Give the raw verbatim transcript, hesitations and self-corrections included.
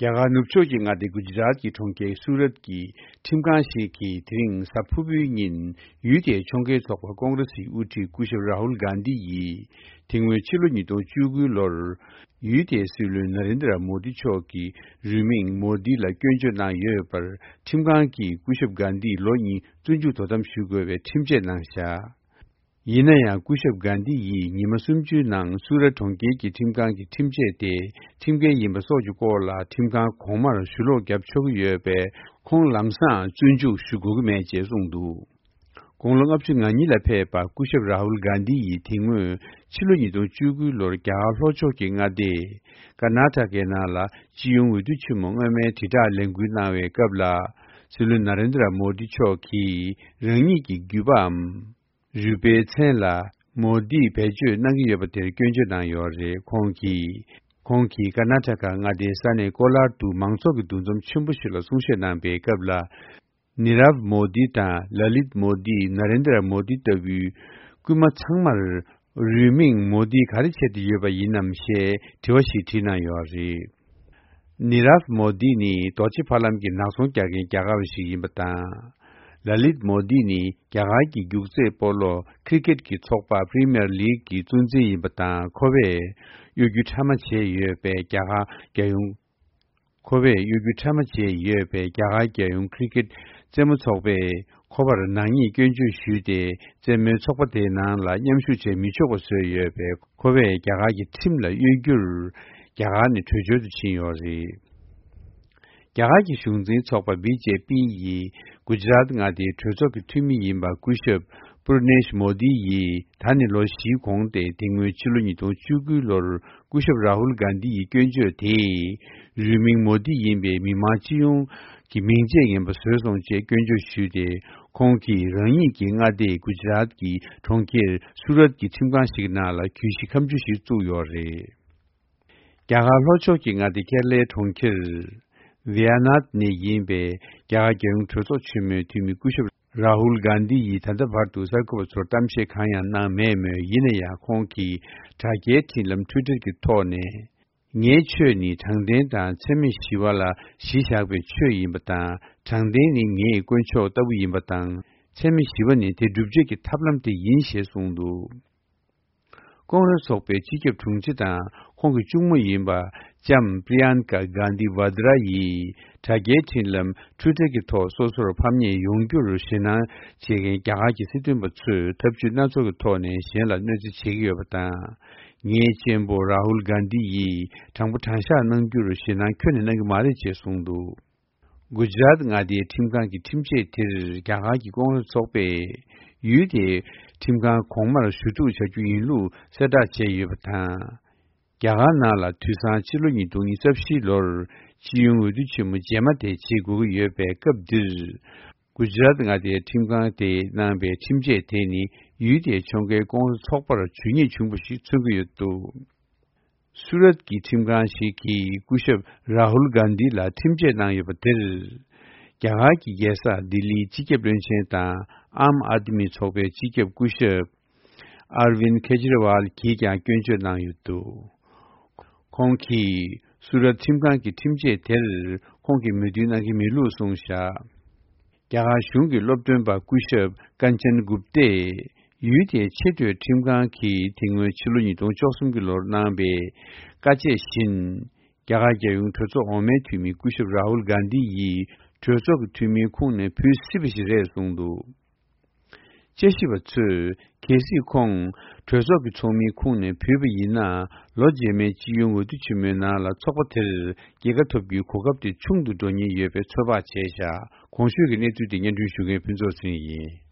རྒྱ་གར་ནུབ་ཕྱོགས་ཀྱི་མངའ་སྡེ་གུ་ཇི་རཱཏ་ཀྱི་གྲོང་ཁྱེར་སུ་རཏ་ཀྱི་ཁྲིམས་ཁང་ཞིག་གིས་དེ་རིང་གཟའ་ཕུར་བུའི་ཉིན་ཡུལ་དེའི་ཕྱོགས་འགལ་ཚོགས་པ་ཀོང་རེ་སིའི་དབུ་ཁྲིད་སྐུ་ཞབས་རཱ་ཧུལ་གྷན་དྷི་ཡིས་དེ་སྔོན་ཕྱི་ལོ་ཉིས་སྟོང་བཅུ་དགུ་ལོར་ཡུལ་དེའི་སྲིད་བློན་ན་རེན་དྲ་མོ་དི་མཆོག་གི་རུས་མིང་མོ་དི་ལ་སྐྱོན་བརྗོད་གནང་ཡོད་པར་ཁྲིམས་ཁང་གིས་སྐུ་ཞབས་གྷན་དྷི་ལོ་གཉིས་བཙོན་འཇུག་དོ་དམ་ཞུ་དགོས་པའི་ཁྲིམས་ཆད་གནང་བཞག་ཡིན་ན་ཡང་སྐུ་ཞབས་གྷན་དྷི་ཡིས་ཉི་མ་སུམ་ཅུའི་ནང་སུ་ར་གྲོང་ཁྱེར་གྱི་ཁྲིམས་ཁང་གི་ཁྲིམས་ཆད་དེ་ཁྲིམས་འགལ་ཡིན་པ་སོགས་ཀྱི་སྐོར་ལ་ཁྲིམས་ཁང་གོང་མར་ཞུ་ལོག་བརྒྱབ་ཆོག་གི་ཡོད་པས་ཁོང་ལམ་སང་བཙོན་འཇུག་ཞུ་དགོས་ཀྱི་མེད་ཅེས་གསུངས་འདུག་དགུང་ལོ་ལྔ་བཅུ་ང་གཉིས་ལ་ཕེབས་པ་སྐུ་ཞབས་རཱ་ཧུལ་གྷན་དྷི་ཡིས་དེ་སྔོན་ཕྱི་ལོ་ཉིས་སྟོང་བཅུ་དགུ་ལོར་རྒྱ་གར་ལྷོ་ཕྱོགས་ཀྱི་མངའ་སྡེ་ཀར་ནཱ་ཊ་ཀའི་ནང་ལ་སྤྱི་ཡོངས་འོས་བསྡུ་ཆེན་མོ་སྔོན་མའི་དྲིལ་བསྒྲགས་ལས་འགུལ་གནང་བའི་སྐབས་ལ་སྲིད་བློན་ན་རེན་དྲ་མོ་དི་མཆོག་གིས་རང་ཉིད་ཀྱི་རྒྱུད་པའམ། རུས་པའི་མཚན་ལ་མོ་དིས་བེད་སྤྱོད་གནང་གི་ཡོད་པ་དེར་སྐྱོན་བརྗོད་གནང་ཡོད་རེད། ཁོང་གིས། ཁོང་གིས་ཀར་ནཱ་ཊ་ཀ་མངའ་སྡེའི་ས་གནས་ཀོ་ལར་དུ་མང་ཚོགས་ཀྱི་འདུ་འཛོམས་ཆེན་པོ་ཞིག་ལ་གསུང་བཤད་གནང་པའི་སྐབས་ལ། ནི་རབ་མོ་དི་དང་ལ་ལིད་མོ་དི། ན་རེན་དྲ་མོ་དི་ལྟ་བུའི་སྐུལ་མ་ཚང་མར་རུས་མིང་མོ་དི་ག་རེ་བྱས་ཏེ་ཡོད་པ་ཡིན་ནམ་ཞེས་དྲི་བ་ཞིག་དྲིས་གནང་ཡོད་རེད། ནི་རབ་མོ་དི་ནི་རྡོ་རྗེ་ཕ་ལམ་གྱི་ནག་ཚོང་རྒྱག་མཁན་རྒྱ་གར་བ་ཞིག་ཡིན་པ་དང་། ལ་ལིད་མོ་དི་ནི་རྒྱ་གར་གྱི་རྒྱུག་རྩེད་སྤོ་ལོ་ཁི་རི་ཀེད་ཀྱི་ཚོགས་པ་པི་རི་མི་ཡར་ལིག་གི་གཙོ་འཛིན་ཡིན་པ་དང་། ཁོ་བས་གཡོ་སྒྱུ་ཕྲ་མ་བྱས་ཡོད་པའི་རྒྱ་གར་རྒྱལ་ཡོངས། ཁོ་བས་གཡོ་སྒྱུ་ཕྲ་མ་བྱས་ཡོད་པའི་རྒྱ་གར་རྒྱལ་ཡོངས་ཁི་རི་ཀེད་རྩེད་མོ་ཚོགས་པས་ཁོ་པར་ནག་ཉེས་སྐྱོན་བརྗོད་ཞུས་ཏེ། རྩེད་མོའི་ཚོགས་པ་དེའི་ནང་ལ་མཉམ་ཞུགས་བྱེད་མི་ཆོག་པ་བཟོས་ཡོད་པས། ཁོ་བས་རྒྱ་གར་གྱི་ཁྲིམས་ལ་གཡོ་སྒྱུར་རྒྱ་གར་ནས་བྲོས་བྱོལ་དུ་ཕྱིན་ཡོད་རེད། རྒྱ་གར་གྱི་གཞུང་འཛིན་ཚོགས་པ་བི་ཇེ་པི་ཡིས་གུ་ཇི་རཱཏ་མངའ་སྡེའི་གྲོས་ཚོགས་ཀྱི་འཐུས་མི་ཡིན་པ་སྐུ་ཞབས་པུར་ནེཤ་མོ་དི་ཡིས་ད་ནི་ལོ་བཞིའི་གོང་སྟེ། དེ་སྔོན་ཕྱི་ལོ་ཉིས་སྟོང་བཅུ་དགུ་ལོར་སྐུ་ཞབས་རཱ་ཧུལ་གྷན་དྷི་ཡི་སྐྱོན་བརྗོད་དེས་རུས་མིང་མོ་དི་ཡིན་པའི་མི་མང་སྤྱི་ཡོངས་ཀྱི་མིང་ཆད་ངན་པ་བཟོས་སོང་ཅེས་སྐྱོན་བརྗོད་ཞུས་ཏེ། ཁོང་གིས་རང་ཉིད་ཀྱི་མངའ་སྡེ་གུ་ཇི་རཱཏ་ཀྱི་གྲོང་ཁྱེར་སུ་རཏ་ཀྱི་ཁྲིམས་ཁང་ཞིག་ནང་ལ་གྱོད་གཞི་ཁ་མཆུ་ཞིག་བཙུགས་ཡོད་རེད། རྒྱ་གར་ལྷོ་ཕྱོགས་ཀྱི་མངའ་སྡེ་ཀེ་ར་ལའི་གྲོང་ཁྱེར་ཝི་ཡ་ནཱད་ནས་ཡིན་པའི་རྒྱ་གར་རྒྱལ་ཡོངས་གྲོས་ཚོགས་ཆེན་མོའི་འཐུས་མི་སྐུ་ཞབས་རཱ་ཧུལ་གྷན་དྷི་ཡིས་ད་ལྟ་བར་དུ་གསར་འགོད་པ་ཚོར་གཏམ་བཤད་གང་ཡང་གནང་མེད་མོད། ཡིན་ན་ཡང་ཁོང་གིས་དྲ་རྒྱའི་འཕྲིན་ལམ་ཊུའི་ཊར་གྱི་ཐོག་ནས། ངའི་ཆོས་ནི་དྲང་བདེན་དང་འཚེ་མེད་ཞི་བ་ལ་གཞི་བཞག་པའི་ཆོས་ཡིན་པ་དང་། དྲང་བདེན་ནི་ངའི་དཀོན་མཆོག་ལྟ་བུ་ཡིན་པ་དང་། འཚེ་མེད་ཞི་བ་ནི་དེ་སྒྲུབ་བྱེད་ཀྱི་ཐབས་ལམ་དེ་ཡིན་ཞེས་གསུངས་འདུག་ཀོང་རེས་ཚོགས་པའི་སྤྱི་ཁྱབ་དྲུང་ཆེ་དང་ཁོང་གི་གཅུང་མོ་ཡིན་པ་ལྕམ་པྲི་ཡན་ཀ་གྷན་དྷི་ཝ་དྲ་ཡིས་དྲ་རྒྱའི་འཕྲིན་ལམ་ཊུའི་ཊར་གྱི་ཐོག་སོ་སོར་ཕམ་ཉེས་ཡོང་རྒྱུར་ཞེད་སྣང་བྱེད་མཁན་རྒྱ་གར་གྱི་སྲིད་དོན་པ་ཚོས་ཐབས་ཇུས་སྣ་ཚོགས་ཀྱི་ཐོག་ནས་གཞན་ལ་གནོད་འཚེ་བྱེད་ཀྱི་ཡོད་པ་དང་། ངའི་གཅེན་པོ་རཱ་ཧུལ་གྷན་དྷི་ཡིས་དྲང་པོ་དྲང་བཞག་གནང་རྒྱུར་ཞེད་སྣང་ཁྱོན་ནས་གནང་གི་མ་རེད་ཅེས་གསུངས་འདུག་གུ་ཇི་རཱཏ་མངའ་སྡེའི་ཁྲིམས་ཁང་གི་ཁྲིམས་ཆད་དེར་རྒྱ་གར་གྱི་ཀོང་རེས་ཚོགས་པས་ཡུལ་དེའི་ཁྲིམས་ཁང་གོང་མར་ཞུ་གཏུག་བྱ་རྒྱུ་ཡིན་ལུགས་གསལ་བསྒྲགས་བྱས་ཡོད་པ་དང་། རྒྱ་གར་ནང་ལ་དུས་སང་ཕྱི་ལོ་ཉིས་སྟོང་ཉི་ཤུ་རྩ་བཞི་ལོར་སྤྱི་ཡོངས་འོས་བསྡུ་ཆེན་མོ་རྗེས་མ་དེ་བྱེད་དགོས་ཀྱི་ཡོད་པའི་སྐབས་འདིར། གུ་ཇི་རཱཏ་མངའ་སྡེའི་ཁྲིམས་ཁང་དེས་གནང་པའི་ཁྲིམས་ཆད་དེ་ནི་ཡུལ་དེའི་ཕྱོགས་འགལ་ཀོང་རེས་ཚོགས་པར་ཇུས་ཉེས་བྱུང་བ་ཞིག་མཚོན་གྱི་ཡོད་འདུག་སུ་རཏ་ཀྱི་ཁྲིམས་ཁང་ཞིག་གིས་སྐུ་ཞབས་རཱ་ཧུལ་གྷན་དྷི་ལ་ཁྲིམས་ཆད་གནང་ཡོད་པ་དེར། རྒྱ་གར་གྱི་རྒྱལ་ས་ལྡི་ལིའི་སྤྱི་ཁྱབ་བློན་ཆེན་དང་ཨམ་ཨཱ་དམི་ཚོགས་པའི་སྤྱི་ཁྱབ་སྐུ་ཞབས་ཨར་ཝིན་ཁེ་ཇི་རི་ཝལ་གྱིས་ཀྱང་སྐྱོན་བརྗོད་གནང་ཡོད་འདུག་ཁོང་གིས་སུ་རཏ་ཁྲིམས་ཁང་གི་ཁྲིམས་ཆད་དེར་ཁོང་གིས་མོས་མཐུན་གནང་གི་མེད་ལུགས་གསུངས་བཞག་རྒྱ་གར་གཞུང་གི་སློབ་སྟོན་པ་སྐུ་ཞབས་ཀན་ཅན་གུབ་ཏས་ཡུལ་དེའི་ཆེས་མཐོའི་ཁྲིམས་ཁང་གིས་དེ་སྔོན་ཕྱི་ལོ་ཉིས་སྟོང་བཅུ་གསུམ་གྱི་ལོར་གནང་པའི་བཀའ་ཆད་བཞིན། རྒྱ་གར་རྒྱལ་ཡོངས་གྲོས་ཚོགས་འོག་མའི་འཐུས་མི་སྐུ་ཞབས་རཱ་ཧུལ་གྷན་དྷི་ཡིས་གྲོས་ཚོགས་ཀྱི་འཐུས་མིའི་ཁོངས་ནས་བུད་སྲིད་པ་ཞིག་རེད་གསུངས་འདུག་དཔྱད་ཞིབ་པ་ཚོས་གལ་སྲིད་ཁོང་གྲོས་ཚོགས་ཀྱི་ཚོགས་མིའི་ཁོངས་ནས་བུད་པ་ཡིན་ན། ལོ་རྗེས་མའི་སྤྱི་ཡོངས་འོས་བསྡུ་ཆེན་མོའི་ནང་ལ་ཚོགས་པ་དེར་རྒྱལ་ཁ་ཐོབ་རྒྱུའི་གོ་སྐབས་དེ་ཆུང་དུ་འགྲོ་ཉེན་ཡོད་པའི་ཚོད་དཔག་བྱས་བཞག་གོང་ཞུས་ཀྱི་གནས་ཚུལ་དེ་སྙན་སྒྲོན་ཞུ་མཁན་ཕུན་ཚོགས་ཚེ་རིང་ཡིན།